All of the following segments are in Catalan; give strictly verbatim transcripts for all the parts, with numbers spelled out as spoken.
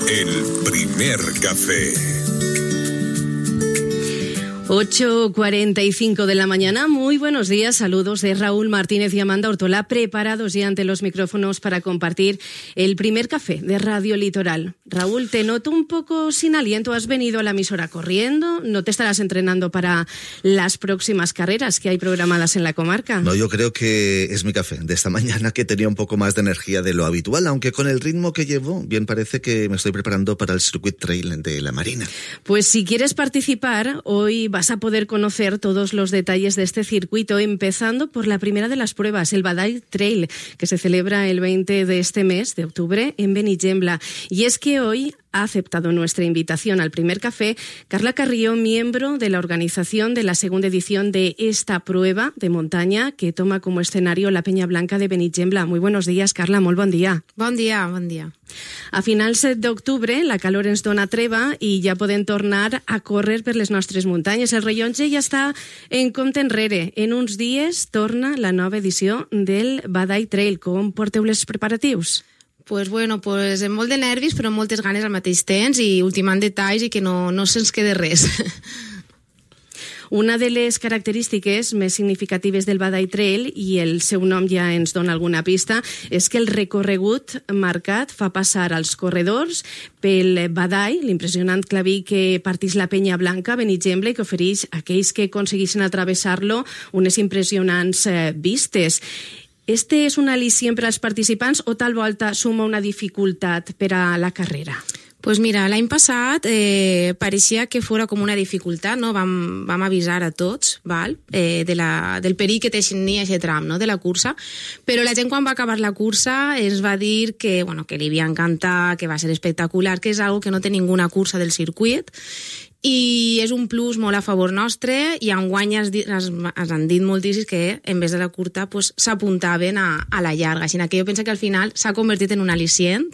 El primer café. ocho cuarenta y cinco de la mañana. Muy buenos días, saludos de Raúl Martínez y Amanda Ortola, preparados ya ante los micrófonos para compartir el primer café de Radio Litoral. Raúl, te noto un poco sin aliento, has venido a la emisora corriendo, no te estarás entrenando para las próximas carreras que hay programadas en la comarca. No, yo creo que es mi café de esta mañana, que tenía un poco más de energía de lo habitual, aunque con el ritmo que llevo, bien parece que me estoy preparando para el Circuit Trail de la Marina. Pues si quieres participar, hoy vas a poder conocer todos los detalles de este circuito, empezando por la primera de las pruebas, el Badall Trail, que se celebra el veinte de este mes de octubre en Benigembla. Y es que hoy ha aceptado nuestra invitación al primer café Carla Carrió, miembro de la organización de la segunda edición de esta prueba de montaña que toma como escenario la Peña Blanca de Benigembla. Muy buenos días, Carla, molt bon dia. Bon dia, bon dia. A finals d'octubre la calor ens dona treva i ja podem tornar a córrer per les nostres muntanyes. El rellotge ja està en compte enrere. En uns dies torna la nova edició del Badall Trail. Com porteu les preparatius? Pues bueno, pues amb molt de nervis, però amb moltes ganes al mateix temps i ultimant detalls i que no, no se'ns quede res. Una de les característiques més significatives del Badall Trail, i el seu nom ja ens dona alguna pista, és que el recorregut marcat fa passar als corredors pel Badall, l'impressionant claví que partix la Penya Blanca, Benigembla, i que ofereix a aquells que aconseguissin atravessar-lo unes impressionants eh, vistes. Este és un al·licient per als participants o tal volta suma una dificultat per a la carrera? Pues mira, l'any passat eh, pareixia que fora com una dificultat, no? Vam, vam avisar a tots, val? Eh, de la, del perill que tenia aquest tram, no? De la cursa, però la gent quan va acabar la cursa ens va dir que, bueno, que li havia encantat, que va ser espectacular, que és algo que no té ninguna cursa del circuit, i és un plus molt a favor nostre, i enguany es, es, es han dit moltíssims que en vez de la curta pues, s'apuntaven a, a la llarga, així que jo penso que al final s'ha convertit en un al·licient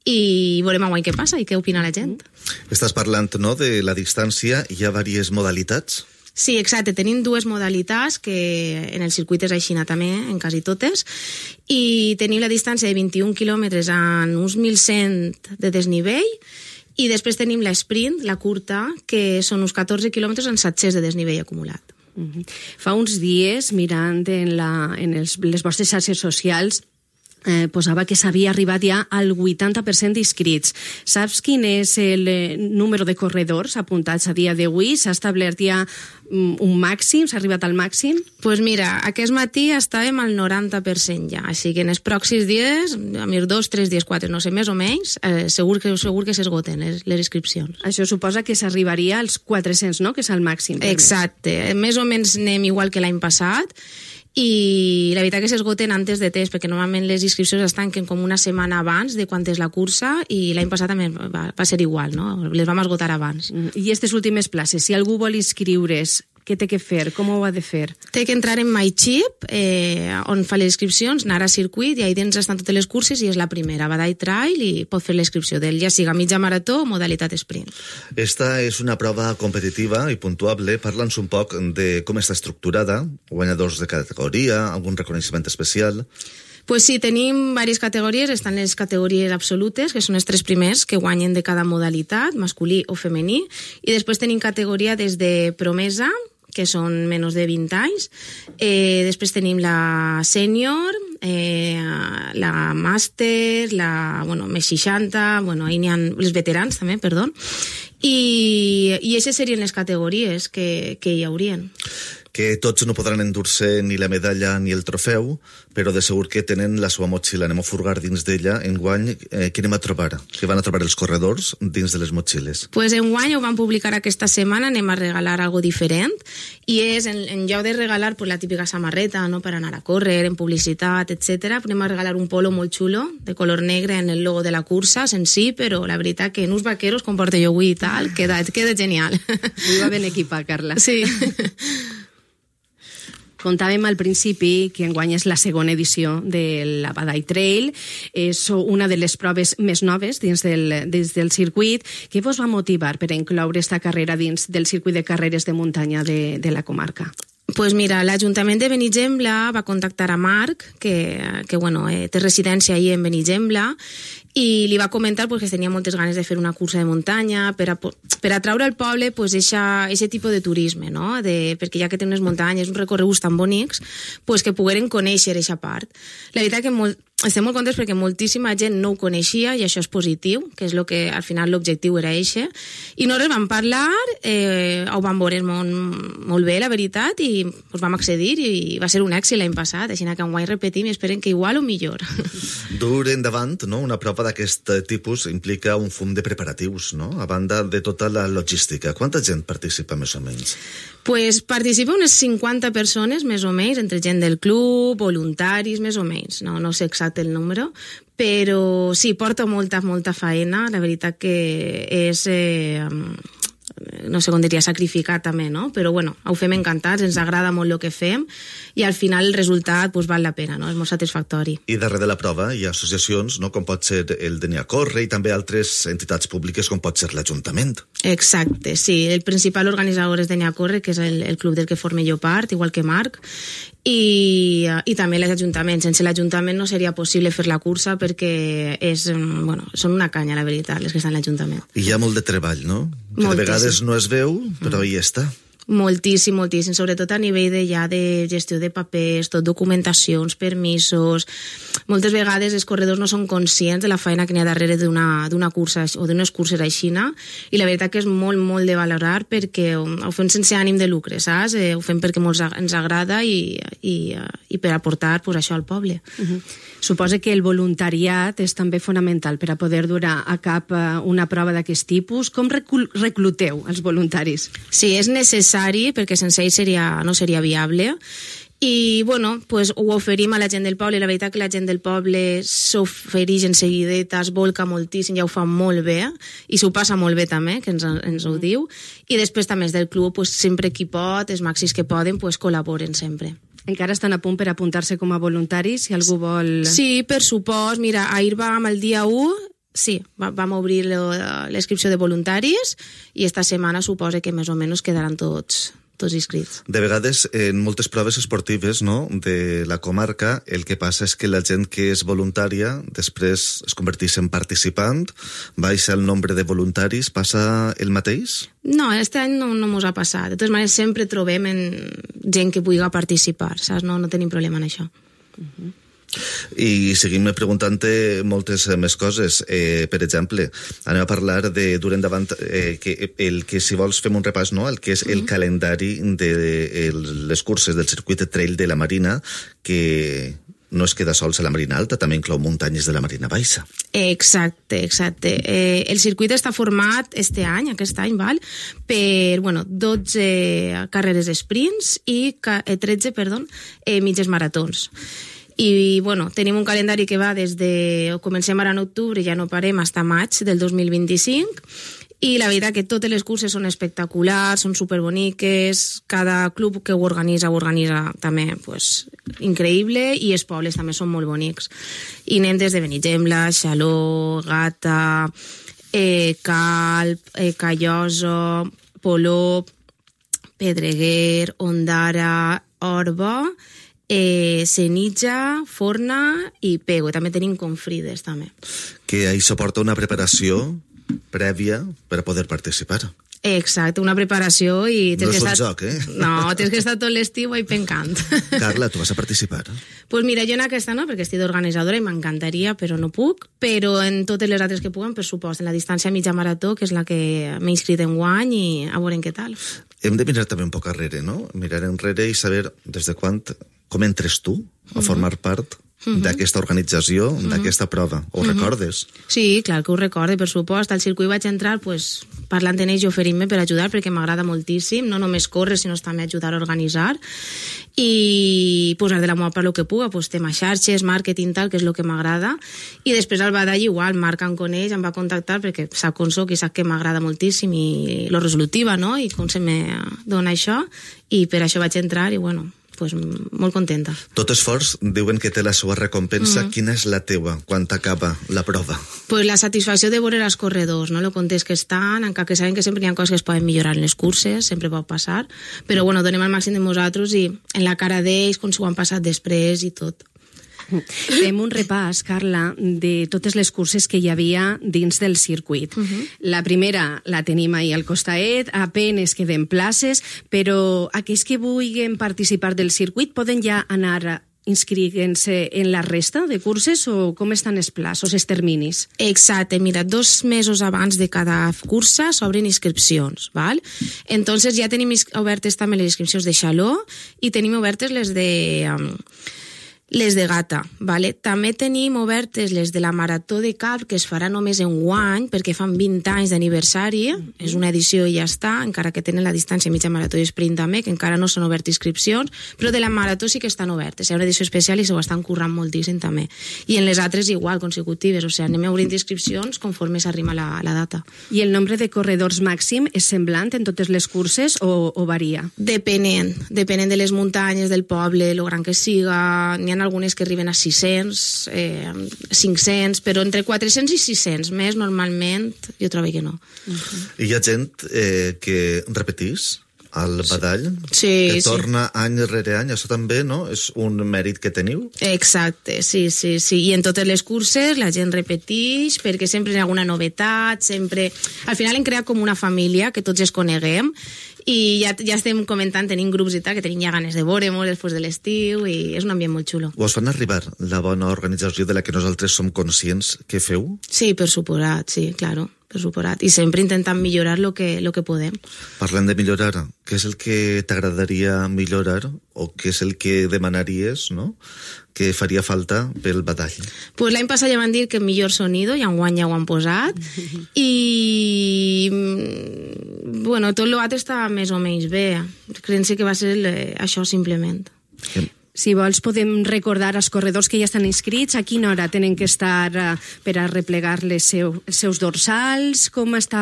i veurem enguany què passa i què opina la gent. Estàs parlant, no?, de la distància. Hi ha diverses modalitats? Sí, exacte. Tenim dues modalitats, que en el circuit és aixina també, en quasi totes, i tenim la distància de vint-i-un quilòmetres en uns mil cent de desnivell, i després tenim l'esprint, la curta, que són uns catorze quilòmetres en set-cents de desnivell acumulat. Uh-huh. Fa uns dies, mirant en, la, en els, les vostres xarxes socials, eh, posava que s'havia arribat ja al vuitanta per cent d'inscrits. Saps quin és el eh, número de corredors apuntats a dia d'avui? S'ha establert ja um, un màxim? S'ha arribat al màxim? Doncs pues mira, aquest matí estàvem al noranta per cent ja, així que en els pròxims dies, a mir dos, tres dies, quatre, no sé, més o menys, eh, segur que segur que s'esgoten les, les inscripcions. Això suposa que s'arribaria als quatre-cents, no?, que és el màxim. Exacte, més o menys anem igual que l'any passat, i la veritat que s'esgoten antes de temps, perquè normalment les inscripcions es tanquen com una setmana abans de quan és la cursa, i l'any passat també va, va ser igual, no? Les vam esgotar abans. I aquestes últimes places, si algú vol inscriure's, què té que fer? Com ho ha de fer? Té que entrar en MyChip, eh, on fa les inscripcions, anar a circuit, i ahí dins estan totes les curses, i és la primera, Badall Trail, i pot fer l'inscripció d'ell, ja siga mitja marató o modalitat sprint. Esta és una prova competitiva i puntuable. Parla'ns un poc de com està estructurada, guanyadors de categoria, algun reconeixement especial. Pues sí, tenim diverses categories. Estan les categories absolutes, que són els tres primers que guanyen de cada modalitat, masculí o femení, i després tenim categoria des de promesa, que són menys de vint anys, eh, després tenim la sènior, eh, la màster, la, bueno, més seixanta, bueno, ahí n'hi ha els veterans també, perdó, i, i aquestes serien les categories que, que hi haurien. Que tots no podran endur-se ni la medalla ni el trofeu, però de segur que tenen la seva motxilla. Anem a furgar dins d'ella. Enguany, eh, què anem a trobar? Què van a trobar els corredors dins de les motxilles? Pues enguany ho vam publicar aquesta setmana, anem a regalar algo diferent, i és, en, en lloc de regalar pues, la típica samarreta, no?, per anar a córrer, en publicitat, etcètera, anem a regalar un polo molt xulo, de color negre, en el logo de la cursa, senzill, però la veritat que en uns vaqueros, com porto jo avui i tal, queda, queda genial. Avui va ben equipat, Carla. Sí. Contàvem al principi que enguany és la segona edició de la Badall Trail, és una de les proves més noves dins del, dins del circuit. Què vos va motivar per incloure esta carrera dins del circuit de carreres de muntanya de, de la comarca? Pues mira, l'Ajuntament de Benigembla va contactar a Marc, que, que bueno, eh, té residència ahí en Benigembla, i li va comentar pues, que tenia moltes ganes de fer una cursa de muntanya per, a, per atraure al poble pues, aquest tipus de turisme, no? De, perquè ja que té unes muntanyes, uns recorreguts tan bonics, pues, que pogueren conèixer aquesta part. La veritat que molt, estem molt contents perquè moltíssima gent no ho coneixia i això és positiu, que és lo que al final l'objectiu era eixe. I nosaltres vam parlar, eh, ho vam veure molt, molt bé, la veritat, i pues, vam accedir i va ser un èxit l'any passat, així que enguany repetim i esperem que igual o millor. Dur endavant, no? Una prova d'aquest tipus implica un fum de preparatius, no? A banda de tota la logística. Quanta gent participa més o menys? Pues participa unes cinquanta persones, més o menys, entre gent del club, voluntaris, més o menys. No, no sé exacte el número, però sí, porta molta, molta faena. La veritat que és... Eh, no sé com diria, sacrificat també, no? Però bueno, ho fem encantats, ens agrada molt el que fem i al final el resultat pues, val la pena, no? És molt satisfactori. I darrere de la prova hi ha associacions, no? Com pot ser el Denia Corre i també altres entitats públiques com pot ser l'Ajuntament. Exacte, sí. El principal organitzador és Denia Corre, que és el, el club del que forme jo part, igual que Marc, i, i també l'Ajuntament. Sense l'Ajuntament no seria possible fer la cursa perquè és, bueno, són una canya, la veritat, les que estan a l'Ajuntament. I hi ha molt de treball, no? Que Moltíssim. de vegades no es veu, però mm. hi està. Moltíssim, moltíssim, sobretot a nivell de, ja de gestió de papers, tot documentacions, permisos. Moltes vegades els corredors no són conscients de la feina que n'hi ha darrere d'una cursa o d'unes curses aixina, i la veritat que és molt, molt de valorar perquè ho fem sense ànim de lucre, saps? Eh, ho fem perquè molt ens agrada i, i, i per aportar pues, això al poble. Uh-huh. Suposa que el voluntariat és també fonamental per a poder dur a cap una prova d'aquest tipus. Com recluteu els voluntaris? Sí, és necessari perquè sense ells seria, no seria viable. I, bueno, pues, ho oferim a la gent del poble. La veritat que la gent del poble s'ofereix en seguideta, es volca moltíssim, ja ho fa molt bé, i s'ho passa molt bé també, que ens, ens ho diu. I després també des del club, pues, sempre qui pot, els màxims que poden, pues, col·laboren sempre. Encara estan a punt per apuntar-se com a voluntaris, si algú vol... Sí, per supost. Mira, ahir vam el dia u, sí, vam obrir l'inscripció de voluntaris i esta setmana suposa que més o menys quedaran tots... tots inscrits. De vegades, en moltes proves esportives, no?, de la comarca, el que passa és que la gent que és voluntària després es converteix en participant, baixa el nombre de voluntaris, passa el mateix? No, este any no, no mos ha passat. De totes maneres, sempre trobem en gent que pugui participar, saps? No, no tenim problema en això. Uh-huh. I seguim preguntant-te moltes més coses. Eh, per exemple, anem a parlar de dur endavant eh, que el que, si vols, fem un repàs, no?, el que és el mm-hmm. calendari de, de les curses del circuit de trail de la Marina, que no es queda sols a la Marina Alta, també inclou muntanyes de la Marina Baixa. Exacte, exacte. Eh, el circuit està format este any, aquest any, val, per, bueno, dotze carreres sprints i tretze, perdó, eh, mitges maratons. I, bueno, tenim un calendari que va des de... Comencem ara en octubre, ja no parem, fins a maig del dos mil vint-i-cinc, i la veritat que totes les curses són espectaculars, són superboniques, cada club que ho organitza, ho organitza també, pues, increïble, i els pobles també són molt bonics. I anem des de Benigembla, Xaló, Gata, eh, Calp, eh, Calloso, Polop, Pedreguer, Ondara, Orba, Eh, Senija, Forna i Pego. També tenim Confrides, també. Que això porta una preparació prèvia per a poder participar. Exacte, una preparació i... No és un estar... joc, eh? No, tens que estar tot l'estiu ahí pencant. Carla, tu vas a participar? Pues mira, jo en aquesta no, perquè estic d'organitzadora i m'encantaria, però no puc, però en totes les altres que puguen, per supost, en la distància mitja marató, que és la que m'he inscrit en guany, i a veure què tal. Hem de mirar també un poc arrere, no? Mirar enrere i saber des de quan... Com entres tu a formar part uh-huh. d'aquesta organització, uh-huh. d'aquesta prova? Ho uh-huh. recordes? Sí, clar que ho recorde, per supost. Al circuit vaig entrar pues, parlant en ells i oferint-me per ajudar, perquè m'agrada moltíssim, no només córrer, sinó també ajudar a organitzar. I posar de la meva part el que puga, pues, tema xarxes, màrqueting, tal, que és el que m'agrada. I després al badall igual, Marc em coneix, em va contactar, perquè sap com soc i sap que m'agrada moltíssim i lo resolutiva, no?, i com se me dona això, i per això vaig entrar i, bueno... pues, molt contenta. Tot esforç diuen que té la seva recompensa. Mm. Quina és la teua quan t'acaba la prova? Pues la satisfacció de veure els corredors, no? Lo contents que estan, encara que saben que sempre hi ha coses que es poden millorar en les curses, sempre pot passar, però bueno, donem el màxim de nosaltres i en la cara d'ells, com s'ho han passat després i tot. Fem un repàs, Carla, de totes les curses que hi havia dins del circuit. Uh-huh. La primera la tenim ahir al costaet, apenes queden places, però aquells que vulguin participar del circuit poden ja anar inscriguent-se en la resta de curses o com estan els plaços, els terminis? Exacte, mira, dos mesos abans de cada cursa s'obren inscripcions, val? Entonces ja tenim obertes també les inscripcions de Xaló i tenim obertes les de... Um, les de Gata, vale? També tenim obertes les de la Marató de Cap, que es farà només en guany, perquè fan vint anys d'aniversari, mm-hmm. és una edició i ja està, encara que tenen la distància mitja marató i sprint també, que encara no s'han obert inscripcions, però de la Marató sí que estan obertes, hi ha una edició especial i s'ho estan currant moltíssim també. I en les altres igual, consecutives, o sigui, anem obrint inscripcions conforme s'arrima la, la data. I el nombre de corredors màxim és semblant en totes les curses o, o varia? Depenent, depenent de les muntanyes, del poble, lo gran que siga, n'hi ha algunes que arriben a sis-cents, eh, cinc-cents, però entre quatre-cents i sis-cents, més normalment jo trobo que no. Uh-huh. I hi ha gent eh, que repetís al badall, sí, que sí. torna any rere any, això també, no? És un mèrit que teniu? Exacte, sí, sí, sí. I en totes les curses la gent repeteix, perquè sempre hi ha alguna novetat, sempre... Al final hem creat com una família, que tots es coneguem, i ja, ja estem comentant, tenim grups i tal, que tenim ja ganes de veure-nos després de l'estiu, i és un ambient molt xulo. Us fan arribar la bona organització de la que nosaltres som conscients que feu? Sí, per suposat, sí, claro, per suposat. I sempre intentant millorar lo que, lo que podem. Parlant de millorar, què és el que t'agradaria millorar o què és el que demanaries, no?, que faria falta pel badall? Pues l'any passat ja van dir que millor sonido, i enguany ja ho han posat, i bueno, tot l'altre està més o menys bé. Creen que va ser això simplement. Sí. Si vols, podem recordar als corredors que ja estan inscrits a quina hora tenen que estar uh, per a replegar les seu, els seus dorsals, com està,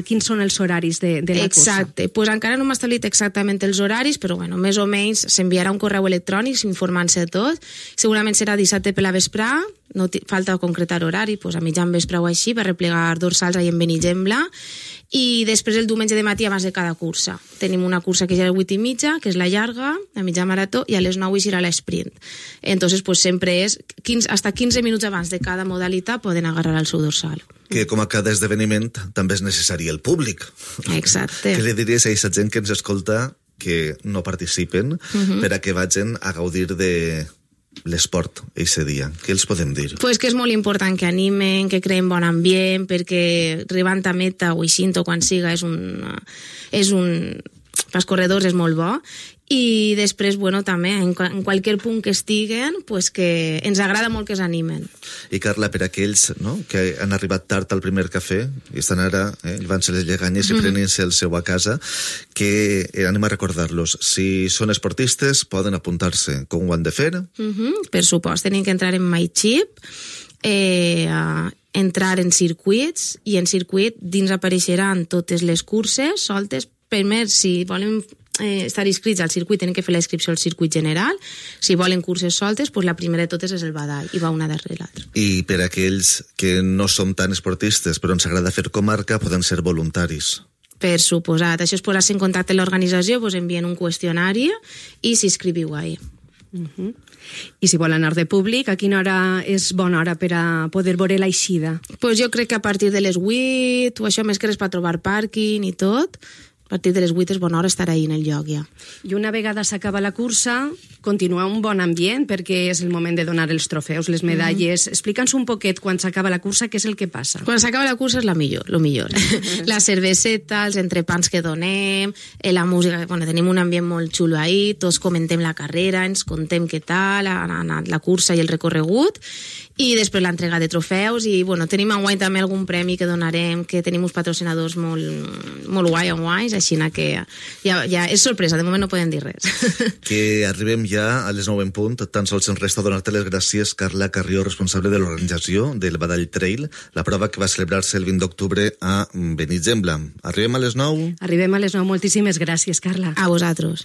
quins són els horaris de, de la cursa. Exacte, pues encara no m'ha establit exactament els horaris, però bueno, més o menys s'enviarà un correu electrònic informant-se de tot. Segurament serà dissabte per la vesprà, no falta concretar horari, pues a mitjan vespre o així, per replegar dorsals ahí en Benigembla, i després el diumenge de matí abans de cada cursa. Tenim una cursa que ja és a les vuit i mitja, que és la llarga, la mitja marató, i a les nou serà l'esprint. Entonces, pues sempre és quinze, hasta quinze minuts abans de cada modalitat poden agarrar el seu dorsal. Que com a cada esdeveniment també és necessari el públic. Exacte. Què li diries a aquesta gent que ens escolta que no participen uh-huh. per a que vagin a gaudir de l'esport eixe dia? Què els podem dir? Pues que és molt important que animen, que creen bon ambient, perquè arribant a meta o eixint o quan siga és un, és un, pels corredors és molt bo. I després, bueno, també, en, en qualsevol punt que estiguen, pues que ens agrada molt que s'animen. I Carla, per aquells, no?, que han arribat tard al primer cafè i estan ara, eh, llevant-se les lleganyes i prenent-se el seu a casa, que eh, anem a recordar-los. Si són esportistes, poden apuntar-se. Com ho han de fer? Uh-huh. Per supost, tenen que entrar en MyChip, eh, uh, entrar en circuits, i en circuit dins apareixeran totes les curses soltes. Primer, si volen eh, estar inscrits al circuit, tenen que fer la inscripció al circuit general. Si volen curses soltes, pues la primera de totes és el badall, i va una darrere l'altra. I per aquells que no som tan esportistes, però ens agrada fer comarca, poden ser voluntaris. Per suposat. Això és posar-se en contacte amb l'organització, pues envien un qüestionari i s'inscriviu ahí. Uh-huh. I si vol anar de públic, a quina hora és bona hora per a poder veure l'eixida? Pues jo crec que a partir de les vuit, o això més que res per trobar pàrquing i tot, a partir de les vuit és bona hora estar ahí en el lloc ja. I una vegada s'acaba la cursa, continua un bon ambient perquè és el moment de donar els trofeus, les medalles. Mm. Explica'ns un poquet quan s'acaba la cursa què és el que passa. Quan s'acaba la cursa és la millor, lo millor. La cerveseta, els entrepans que donem, la música, bueno, tenim un ambient molt xulo ahí, tots comentem la carrera, ens contem què tal, ha anat la cursa i el recorregut, i després l'entrega de trofeus, i bueno, tenim enguany també algun premi que donarem, que tenim uns patrocinadors molt, molt guai enguany, així que ja, ja és sorpresa, de moment no podem dir res. Que arribem ja a les nou en punt, tan sols ens resta donar-te les gràcies, Carla Carrió, responsable de l'organització del Badall Trail, la prova que va celebrar-se el vint d'octubre a Benigembla. Arribem a les nou? Arribem a les nou, moltíssimes gràcies, Carla. A vosaltres.